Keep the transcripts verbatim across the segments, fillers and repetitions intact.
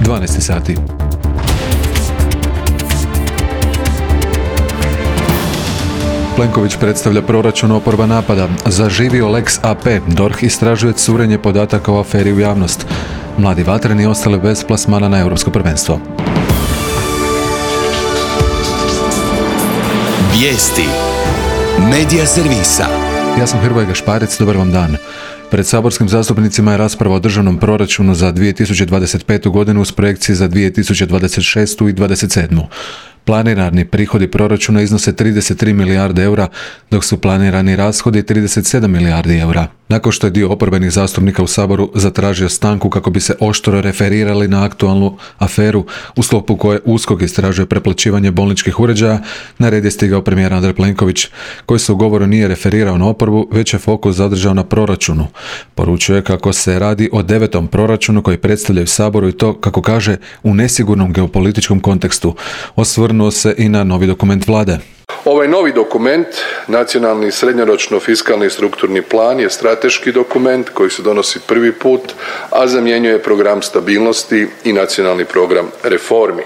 dvanaest sati. Plenković predstavlja proračun, oporba napada. Zaživio Lex A P. D O R H istražuje curenje podataka o aferi u javnost. Mladi vatreni ostali bez plasmana na europsko prvenstvo. Vijesti Medija servisa. Ja sam Hrvoje Gašparec, dobar vam dan. Pred saborskim zastupnicima je rasprava o državnom proračunu za dvije tisuće dvadeset petu godinu uz projekcije za dvije tisuće dvadeset šestu i dvadeset sedmu. Planirani prihodi proračuna iznose trideset tri milijarde eura, dok su planirani rashodi trideset sedam milijardi eura. Nakon što je dio oporbenih zastupnika u Saboru zatražio stanku kako bi se oštro referirali na aktualnu aferu u sklopu koje USKOK istražuje preplaćivanje bolničkih uređaja, na red je stigao premijer Andrej Plenković, koji se u govoru nije referirao na oporbu, već je fokus zadržao na proračunu. Poručuje kako se radi o devetom proračunu koji predstavljaju Saboru i to, kako kaže, u nesigurnom geopolitičkom kontekstu. Osvrnuo se i na novi dokument vlade. Ovaj novi dokument, nacionalni srednjoročno fiskalni strukturni plan, je strateški dokument koji se donosi prvi put, a zamjenjuje program stabilnosti i nacionalni program reformi.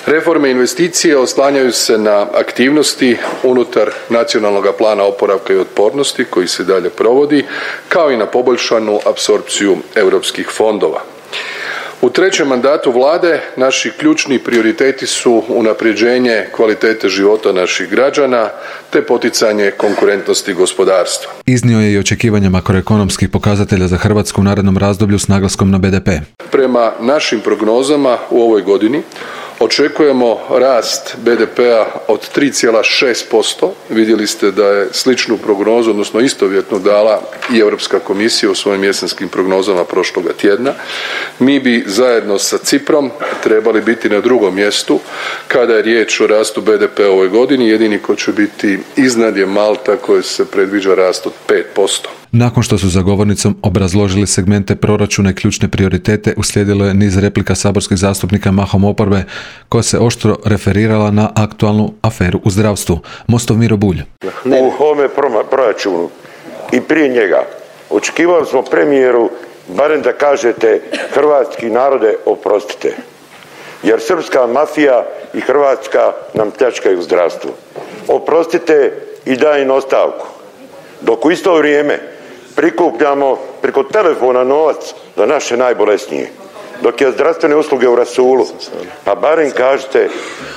Reforme i investicije oslanjaju se na aktivnosti unutar nacionalnog plana oporavka i otpornosti koji se dalje provodi, kao i na poboljšanu apsorpciju europskih fondova. U trećem mandatu vlade naši ključni prioriteti su unapređenje kvalitete života naših građana te poticanje konkurentnosti gospodarstva. Iznio je i očekivanja makroekonomskih pokazatelja za Hrvatsku u narednom razdoblju s naglaskom na B D P. Prema našim prognozama u ovoj godini očekujemo rast B D P-a od tri zarez šest posto. Vidjeli ste da je sličnu prognozu, odnosno istovjetnu, dala i Europska komisija u svojim jesenskim prognozama prošloga tjedna. Mi bi zajedno sa Ciprom trebali biti na drugom mjestu kada je riječ o rastu B D P-a u ovoj godini. Jedini ko će biti iznad je Malta, koji se predviđa rast od pet posto. Nakon što su za govornicom obrazložili segmente proračuna i ključne prioritete, uslijedilo je niz replika saborskih zastupnika mahom oporbe, koja se oštro referirala na aktualnu aferu u zdravstvu. Mostov Miro Bulj. U ovome proračunu i prije njega očekivali smo premijeru barem da kažete hrvatski narode oprostite, jer srpska mafija i Hrvatska nam pljačkaju zdravstvo. Oprostite i daj im ostavku. Dok u isto vrijeme prikupljamo preko telefona novac za naše najbolesnije, dok je zdravstvene usluge u rasulu, pa barem kažete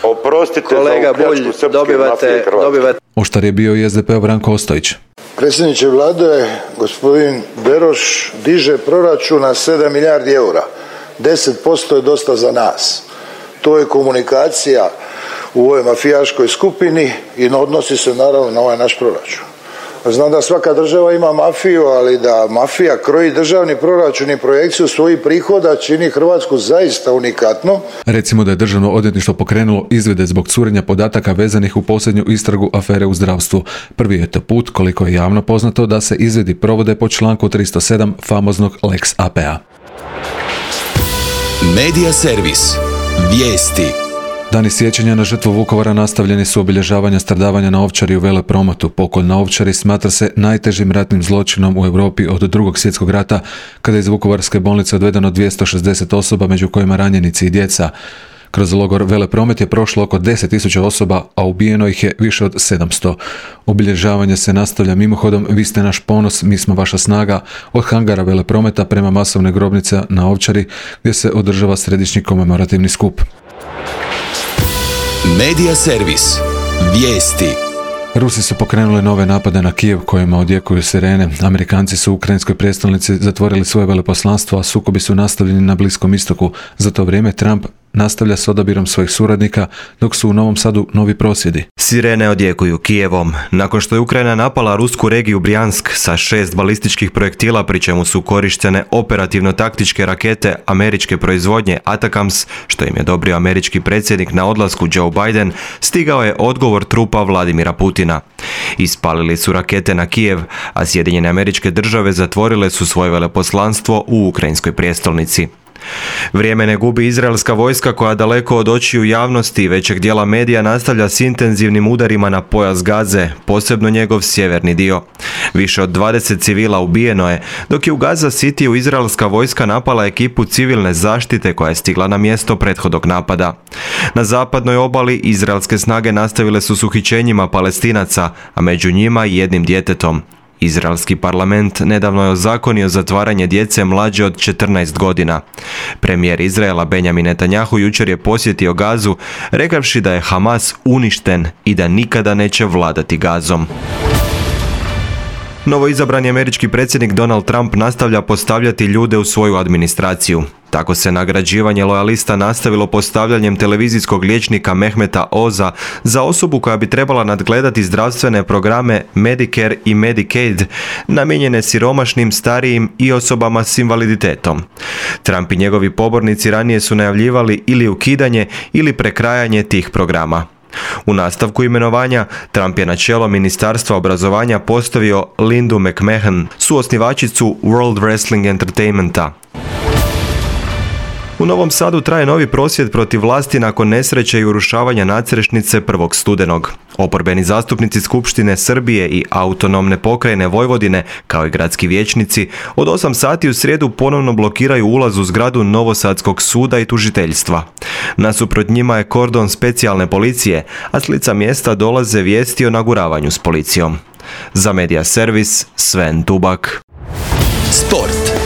oprostite kolega za pljačku srpske dobivate, mafije Hrvatske. Dobivate. Oštar je bio i S D P-ov Branko Ostojić. Predsjedniče vlade, gospodin Beroš diže proračun na sedam milijardi eura. deset posto je dosta za nas. To je komunikacija u ovoj mafijaškoj skupini i odnosi se naravno na ovaj naš proračun. Znam da svaka država ima mafiju, ali da mafija kroji državni proračun i projekciju svojih prihoda čini Hrvatsku zaista unikatno. Recimo da je Državno odvjetništvo pokrenulo izvide zbog curenja podataka vezanih u posljednju istragu afere u zdravstvu. Prvi je to put, koliko je javno poznato, da se izvidi provode po članku tristo sedam famoznog Lex A P-a. Medija servis. Vijesti. Dani sjećanja na žrtvu Vukovara nastavljeni su obilježavanja stradavanja na Ovčari u Veleprometu. Pokolj na Ovčari smatra se najtežim ratnim zločinom u Europi od drugog svjetskog rata, kada je iz Vukovarske bolnice odvedeno dvjesto šezdeset osoba, među kojima ranjenici i djeca. Kroz logor Velepromet je prošlo oko deset tisuća osoba, a ubijeno ih je više od sedamsto. Obilježavanje se nastavlja mimohodom Vi ste naš ponos, mi smo vaša snaga, od hangara Veleprometa prema masovne grobnice na Ovčari, gdje se održava središnji komemorativni skup. Medija servis. Vijesti. Rusi su pokrenuli nove napade na Kijev kojima odjekuju sirene. Amerikanci su u ukrajinskoj prijestolnici zatvorili svoje veleposlanstvo, a sukobi su nastavljeni na Bliskom istoku. Za to vrijeme Trump nastavlja s odabirom svojih suradnika, dok su u Novom Sadu novi prosvjedi. Sirene odjekuju Kijevom. Nakon što je Ukrajina napala rusku regiju Brjansk sa šest balističkih projektila, pri čemu su korištene operativno-taktičke rakete američke proizvodnje Atacams, što im je odobrio američki predsjednik na odlasku Joe Biden, stigao je odgovor trupa Vladimira Putina. Ispalili su rakete na Kijev, a Sjedinjene Američke Države zatvorile su svoje veleposlanstvo u ukrajinskoj prijestolnici. Vrijeme ne gubi izraelska vojska koja daleko od očiju javnosti i većeg dijela medija nastavlja s intenzivnim udarima na pojas Gaze, posebno njegov sjeverni dio. Više od dvadeset civila ubijeno je, dok je u Gaza Cityu izraelska vojska napala ekipu civilne zaštite koja je stigla na mjesto prethodnog napada. Na zapadnoj obali izraelske snage nastavile su s uhićenjima Palestinaca, a među njima i jednim djetetom. Izraelski parlament nedavno je ozakonio zatvaranje djece mlađe od četrnaest godina. Premijer Izraela Benjamin Netanjahu jučer je posjetio Gazu, rekavši da je Hamas uništen i da nikada neće vladati Gazom. Novoizabrani američki predsjednik Donald Trump nastavlja postavljati ljude u svoju administraciju. Tako se nagrađivanje lojalista nastavilo postavljanjem televizijskog liječnika Mehmeta Oza za osobu koja bi trebala nadgledati zdravstvene programe Medicare i Medicaid namijenjene siromašnim, starijim i osobama s invaliditetom. Trump i njegovi pobornici ranije su najavljivali ili ukidanje ili prekrajanje tih programa. U nastavku imenovanja, Trump je na čelo Ministarstva obrazovanja postavio Lindu McMahon, suosnivačicu World Wrestling Entertainmenta. U Novom Sadu traje novi prosvjed protiv vlasti nakon nesreće i urušavanja nadstrešnice prvog studenog. Oporbeni zastupnici Skupštine Srbije i autonomne pokrajine Vojvodine, kao i gradski vijećnici, od osam sati u srijedu ponovno blokiraju ulaz u zgradu Novosadskog suda i tužiteljstva. Nasuprot njima je kordon specijalne policije, a s lica mjesta dolaze vijesti o naguravanju s policijom. Za Media Servis, Sven Tubak. Sport.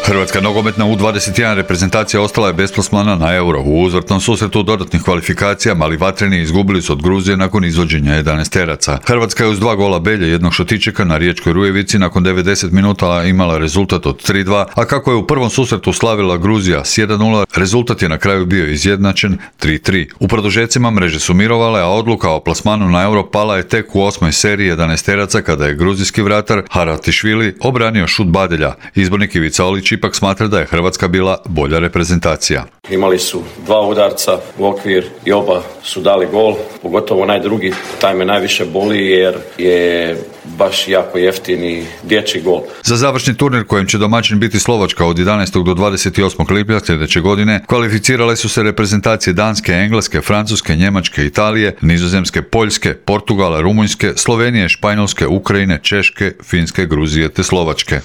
Hrvatska nogometna U dvadeset jedan reprezentacija ostala je bez plasmana na Euro. U uzvratnom susretu dodatnih kvalifikacija mali vatreni izgubili su od Gruzije nakon izvođenja jedanaesteraca. Hrvatska je uz dva gola Belje i jednog Šotičeka na Riječkoj Rujevici nakon devedeset minuta imala rezultat od tri dva, a kako je u prvom susretu slavila Gruzija s jedan nula, rezultat je na kraju bio izjednačen tri tri. U produžecima mreže su mirovale, a odluka o plasmanu na Euro pala je tek u osmoj seriji jedanaesteraca kada je gruzijski vratar Haratišvili obranio šut Badelja. Izbornik Ivica Olić ipak smatra da je Hrvatska bila bolja reprezentacija. Imali su dva udarca u okvir i oba su dali gol, pogotovo onaj drugi, taj me najviše boli jer je baš jako jeftini dječji gol. Za završni turnir kojem će domaćin biti Slovačka od jedanaestog do dvadeset osmog lipnja sljedeće godine kvalificirale su se reprezentacije Danske, Engleske, Francuske, Njemačke, Italije, Nizozemske, Poljske, Portugala, Rumunjske, Slovenije, Španjolske, Ukrajine, Češke, Finske, Gruzije te Slovačke.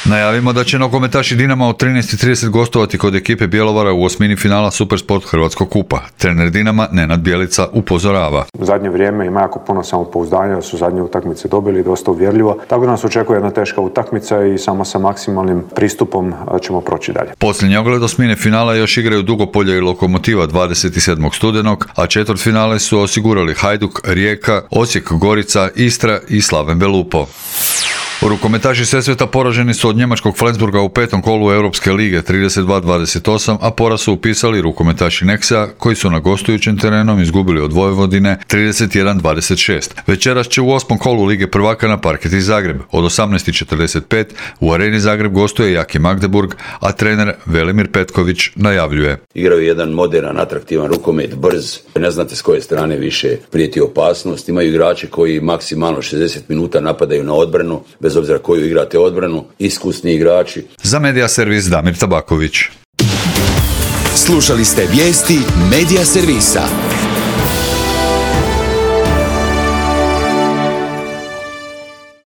Najavimo da će nogometaši Dinama od trinaest i trideset gostovati kod ekipe Bjelovara u osmini finala Supersport Hrvatskog kupa. Trener Dinama Nenad Bjelica upozorava. U zadnje vrijeme ima jako puno samopouzdanja, da su zadnje utakmice dobili dosta uvjerljivo. Tako da nas očekuje jedna teška utakmica i samo sa maksimalnim pristupom ćemo proći dalje. Posljednji ogled osmine finala još igraju Dugopolje i Lokomotiva dvadeset sedmog studenog, a četvrtfinale su osigurali Hajduk, Rijeka, Osijek, Gorica, Istra i Slaven Belupo. Rukometaši Sesveta poraženi su od njemačkog Flensburga u petom kolu Europske lige trideset dva dvadeset osam, a poraz su upisali rukometaši Nexa koji su na gostujućem terenom izgubili od Vojvodine trideset jedan dvadeset šest. Večeras će u osmom kolu Lige prvaka na parketi Zagreb. Od osamnaest i četrdeset pet u Areni Zagreb gostuje Jaki Magdeburg, a trener Velimir Petković najavljuje. Igraju jedan moderan, atraktivan rukomet, brz, ne znate s koje strane više prijeti opasnost. Imaju igrače koji maksimalno šezdeset minuta napadaju na odbranu, bez obzira koju igrate odbranu, iskusni igrači. Za Media Servis Damir Tabaković. Slušali ste vijesti Media Servisa.